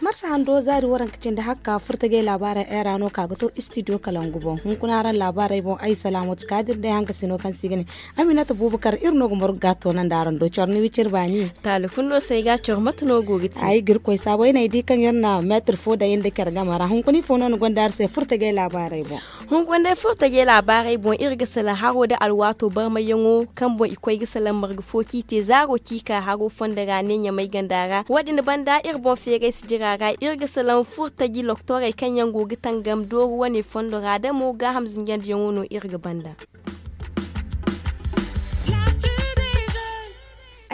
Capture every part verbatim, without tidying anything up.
Marsa hando zaari waranka cindi hakka furtajey laabaarey era no ka ga to istidiyo kalangu boŋ hunkuna araŋ laabaarey boŋ ay salaamatu kaadir day hanka sino kaŋ se i ga ne aminata buubakar iri no ga margu ga a toonandi araŋ do coro ni wiciri baani. Taali kulu no se ay ga a coro mate no go ga te ay ga iri koy saabo ay na ay di kaŋ iri na meetir fo daŋ iri nda care game ra hunkuna ifo no ni gonda araŋ se furtajey laabaarey boŋ. Hunkuna day furtajey laabaarey boŋ iri ga salaŋ haro nda alwaato barmayyaŋo kaŋ boŋ i koy ga salaŋ marga fo kaŋ i te zaaro kaŋ i ka haro fondo ra ne ɲamay ganda ra wo- din banda iri boŋ feeray si jira ra iri ga salaŋ furtaji loktorey kaŋ yaŋ go ga tangam dooru wane fondo ra da mo gaaham zinjandiyaŋo no iri ga banda.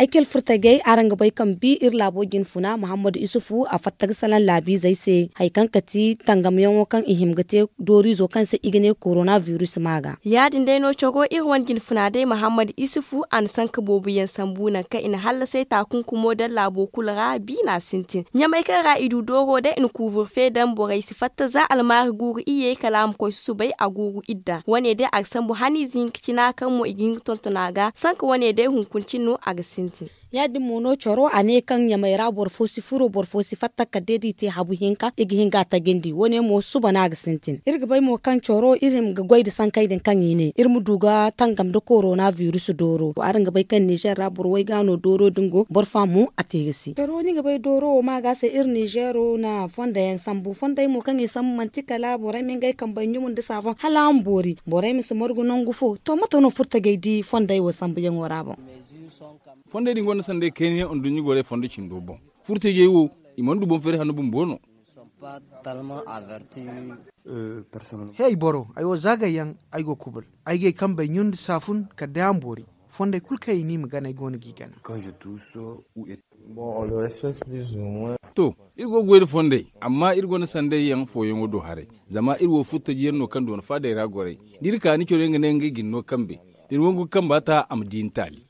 Ay kala furtajey araŋ ga bay kaŋ bi iri laabo jinfuna muhammadu isufu a fatta ga salaŋ laabiizey se hari kaŋ kati tangamyaŋo kaŋ i hima ga te dooriizo kaŋ se i ga ne korona biris ma ga. Ya- din day no coro iri wane jinfuna day muhammadu isufu a na sanka boobo yaŋ sambu nangu kaŋ i na hallasay taakunkumo daŋ laabo kulu ra biina sintin ɲamay kaŋ ra i du dooro day i na kuuburfe daŋ borey si fatta za almaari guuru iyye kala a ma koy susubay a guuru idda wane day a ga sambu haniize hinka cina kaŋ mo i ga hin ga tonton a ga sanka wane day hunkuna cine no a ga sintin. Ya- din mo no coro a ne kaŋ ɲamay ra boro fo si furo boro fo si fatta kala day da i te habu hinka i ga hin ga a tajandi wane mo suba no a ga sintin iri ga bay mo kaŋ coro iri hima ga goy nda sankey din kaŋ i ne iri ma du ga tangam nda korona biris dooro araŋ ga bay kaŋ nizer ra boro way ga no dooro din go boro fo a mo a te ga si coro ni ga bay dooro wo ma ga se iri nizero na fondo yaŋ sambu fondey mo kaŋ i sambu manti kala borey ma ngey kambey ɲumu nda saafoŋ hala a ma boori borey ma si margu nangu fo to mate no furtajey di fondey wo sambuyaŋo ra boŋ. Fondey din gonda sanday kayna yaŋ nduɲɲa gorey fondo cindo boŋ furtajey wo i mana du boŋ feeri hanno bumbo no. He ay boro ay wo zaagay yaŋ ay go kubul ay gay kambey ɲun nda saafun kala day a ma boori fondey kulu kaŋ i ne i ma gana ay go no g'i gana. To iri go ga goy nda fondey amma iri gonda sanday yaŋ fooyaŋo do haray zama iri wo furtaji yaŋ no kaŋ doona faadey ra goray da iri ka ni coro yaŋ ga ne ngey ga ni no kambe da ni wangu ga kamba ta a ma di ni taali.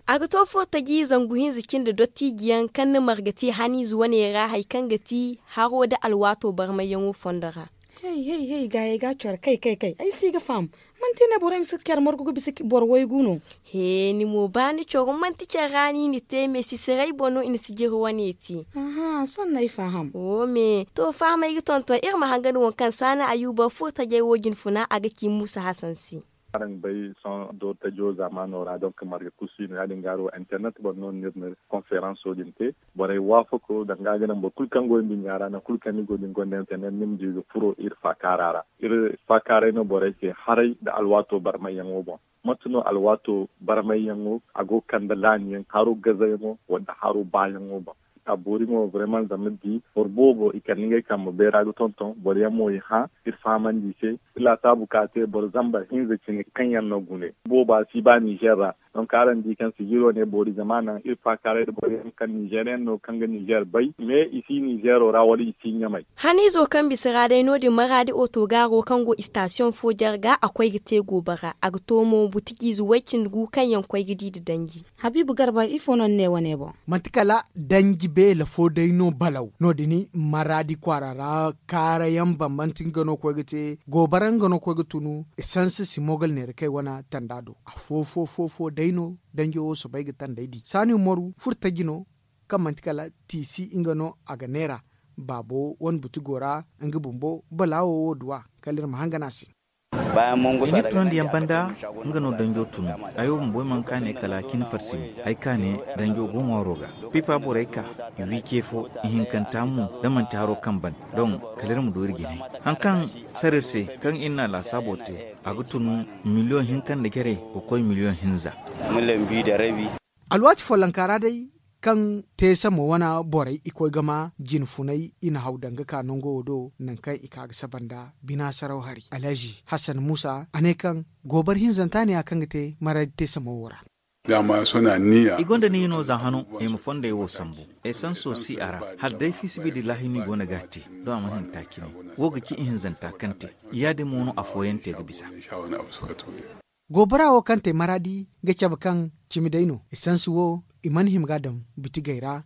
A ga to furtaji zangu hinza cindi dottijiyaŋ kaŋ na marga te haniize wane ra hari kaŋ ga ti haro nda alwaato barmayyaŋo fondo ra. Hay hay hay gaayey ga a coro kay kay kay ay si ga faham. Manti ne borey ma si care margu ga bisa boro waygu no? He ni mo ba ni coro manti care ra no i na te me sisiray boŋ no i na sijiri wane te. Aha sohõ no ay faham. Wo me to fahamay ga tonton iri ma hangan waŋ kaŋ saana ayuba furtajey wo jinfuna a ga ci muusa hasan se. Araŋ ga bay sohõ doori tajo zaamaano ra donk marga kulu si no ya- din ga hari wo internet boŋ no no iri na konferanso din te. Borey waafako danga a ga naŋ boro kulu kaŋ go nduɲɲa ra nangu kulu kaŋ ni go da ni gonda internet ni ma di ga furo iri faakaara ra. Iri faakaaray no borey se haray nda alwaato barmayyaŋo boŋ. Mate no alwaato barmayyaŋo a go ga kande laaniyaŋ haro gazayaŋo wala haro baayaŋo boŋ? A boori mo vraiment zama ni di boro boobo i kande ngey kambe bayra ga tonton boro yaŋ mo i hã iri fahamandi i se. Iri laasaabu ka te boro zambar hinza cine kaŋ yaŋ no gune booba si ba nizer ra. Donc araŋ di kaŋ sijiro ne boori zama a naŋ iri faakaaray nda boro yaŋ kaŋ nizer yaŋ no kaŋ ga nizer bay mais i si nizero ra wala i si ɲamay. Haniizo kaŋ bisa ra day no- din maraadi otogaaro kaŋ go istasiyoŋ fo jarga a koy ga te goobara a ga to mo butijiize way- cindi gu kaŋ yaŋ koy ga di nda danji. Habiibu garba ifo no ni ne wane boŋ? Manti kala danji beela fo day no balaw no- din maraadi kwaara ra kaara yaŋ bambante nga no koy ga te goobara nga no koy ga tunu esanse si mogal neera kay wane tanda do afo fo fo fo day no danjo wo soobay ga tandey di saani umaru furtaji no kaŋ manti kala tiisi nga no a ga neera baabo wane buti go ra nga bumbo balaawo wo duwa kala iri ma hangan a se. I na iri tunandiyaŋ banda nga no danjo tun. Ay wo bumbo ay mana ka ne kala cin farsi mo ay ka ne danjo go ŋwaaro ga pipa borey ka i wi ce fo ihinkanta mo da manti haro kaŋ ban don kala iri ma du iri jinay. Haŋ kaŋ sara iri se kaŋ iri na a laasaabo te a ga tun miliyoŋ hinka nda jarey ga koy miliyoŋ hinza. Alwaati follonka ra day kaŋ te sammo wane borey i koy ga ma jine funay i na haw daŋ ga ka nango wo do nangu kaŋ i ka ga saba nda bina saraw hari alhazi hasan musa a ne kaŋ goobar hinzanta ne ya kaŋ ga te maradi te sammo wo ra. I gonda niya no za hano i ma fondey wo sambu esanso si a ra hala day fiisabilillahi no i go no ga a te doŋ a mana hin taaci ne. Wo ga ci ihinzanta kaŋ te ya- din mo no afooyaŋ te ga bisa. Goobara wo kaŋ te maraadi ga cabe kaŋ cimi day no esansi wo i mana hima ga a daŋ bitigey ra.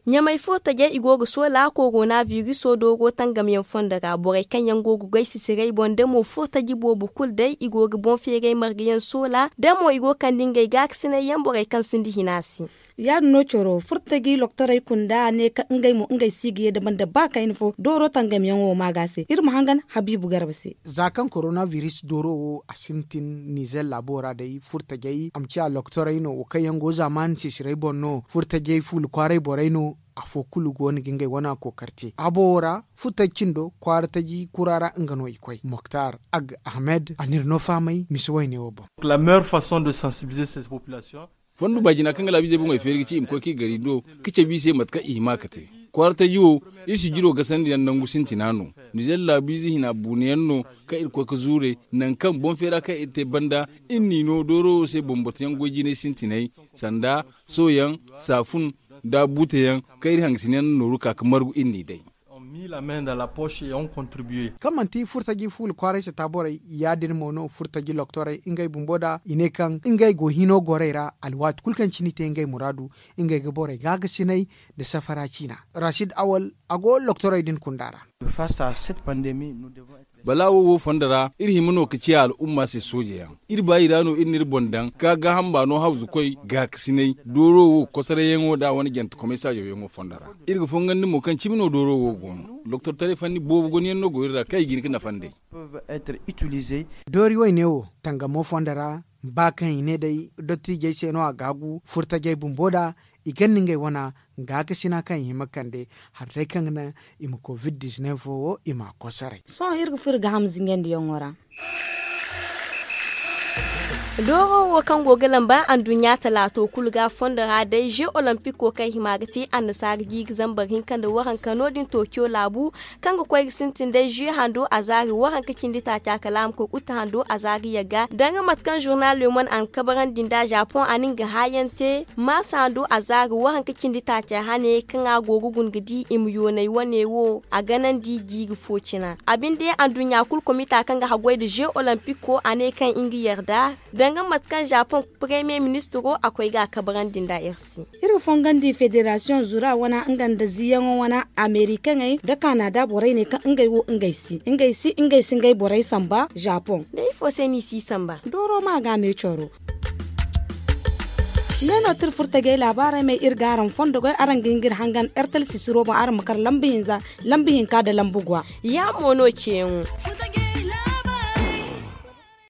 Ɲamay furtajey i go ga soola korona biriso dooro tangamyaŋ fondo ra borey kaŋ yaŋ go ga goy sisiray boŋ da mo furtaji boobo kulu day i go ga boŋ feeray margayaŋ soola da mo i go ga kande ngey gaakasinay yaŋ borey kaŋ sinda hina se. Ya- din no coro furtaji doktorey kunda ne kaŋ ngey mo ngey si ga ye da banda ba kayna fo dooro tangamyaŋo ma ga se iri ma hangan habiibu garba se. Za kaŋ korona biris dooro wo a sintin nizer laabo ra day furtajey a ma ciya doktorey no wo kaŋ yaŋ go zaamaani sisiray boŋ no furtajey fuula kwaaray borey no. Afo kulu go no ga ngey wana kookari te a bowo ra furtaji cindo kwaara taji kura ra nga no i koy moktar ag ahmed a n'iri no fahamay misa wayne wo boŋ. Fondo baajina kaŋ ga laabiizey boŋey feeri ga ci i ma koy kaŋ i gari do ka cabe i se mate kaŋ i hima ka te. Kwaara taji wo iri si jiro gasandi yaŋ nangu sintina no. Nizer laabiize hina buunayaŋ no kaŋ iri koy ga zuure nangu kaŋ boŋ feera kaŋ iri te banda iri n'i no dooro wo se bambata yaŋ goy jinay sintinay sanda soyaŋ, saafun, nda buuteyaŋ kaŋ iri hangasinayaŋ na nooru ka ga margu iri n'i day. Kaŋ manti furtaji fuula kwaaray sata borey ya- din mo no furtaji doktorey ngey bumbo da i ne kaŋ ngey go hino gorey ra alwaati kulu kaŋ cine i te ngey muraadu ngey ga borey gaagasinay nda safara ciina. Rasiid awal a go doktorey din kunda ra. Bala wo wo fondo ra iri hima no ga ciya al'umma se soojeyaŋ. Iri baayi ra no iri n'iri boŋ daŋ ka gaaham baano hawzukoy gaakasinay dooro wo kosarayyaŋo nda a wane jantekomey saajawyaŋo fondo ra. Iri ga fongandi mo kaŋ cimi no dooro wo go no doktortaray fanni boobo gonayaŋ no go iri ra kaŋ i ga hin ga nafa nd'ey. Doori wayne wo tangamo fondo ra ba kaŋ i ne day dottiijey se no a gaagu furtajey bumbo da i ganda ngey wana gaakasina kaŋ i hima ga kande hari day kaŋ ga naŋ i ma covid dizineef wo i m'a kosoray. Sohõ iri ga furo gaaham zingandiyaŋo ra. Dooro wo kaŋ go ga lamba anduɲɲa talaato kulu ga fondo ra day ze olompiko kaŋ hima ga te annasaara jiiri zambar hinka nda waranka no- din tokiyo laabu kaŋ ga koy ga sintin day ze hando a zaari waranka cindi taaca kala a ma koy uta hando a zaari yagga danga mate kaŋ zurnal lemon a na kabarandi nda zapoŋ a na nga haayaŋ te maasa hando a zaari waranka cindi taaca hane kaŋ a go ga guna ga di i ma yoonay wane wo a ganandi jiiri fo cina a binde anduɲɲa kulu komita kaŋ ga haggoy nda ze olompiko a ne kaŋ nga yarda danga mate kaŋ zapoŋ paremiye ministiro a koy ga a kabarandi nda iri se. Iri ga fongandi federasiyoŋ zura wana nga nda ziyaŋo wana amerikaŋey nda kanada borey ne kaŋ ngey wo ngey si ngey si ngey si ngey borey samba zapoŋ. Day ifo se no i si samba? Dooro ma ga me coro. Ne no tira furtajey laabaarey may iri ga araŋ fondo goy araŋ ga hin ga iri hangan ertel sisiro boŋ araŋ ma kar lamba hinza lamba hinka nda lamba gwa. Ya mo no ceeyaŋo.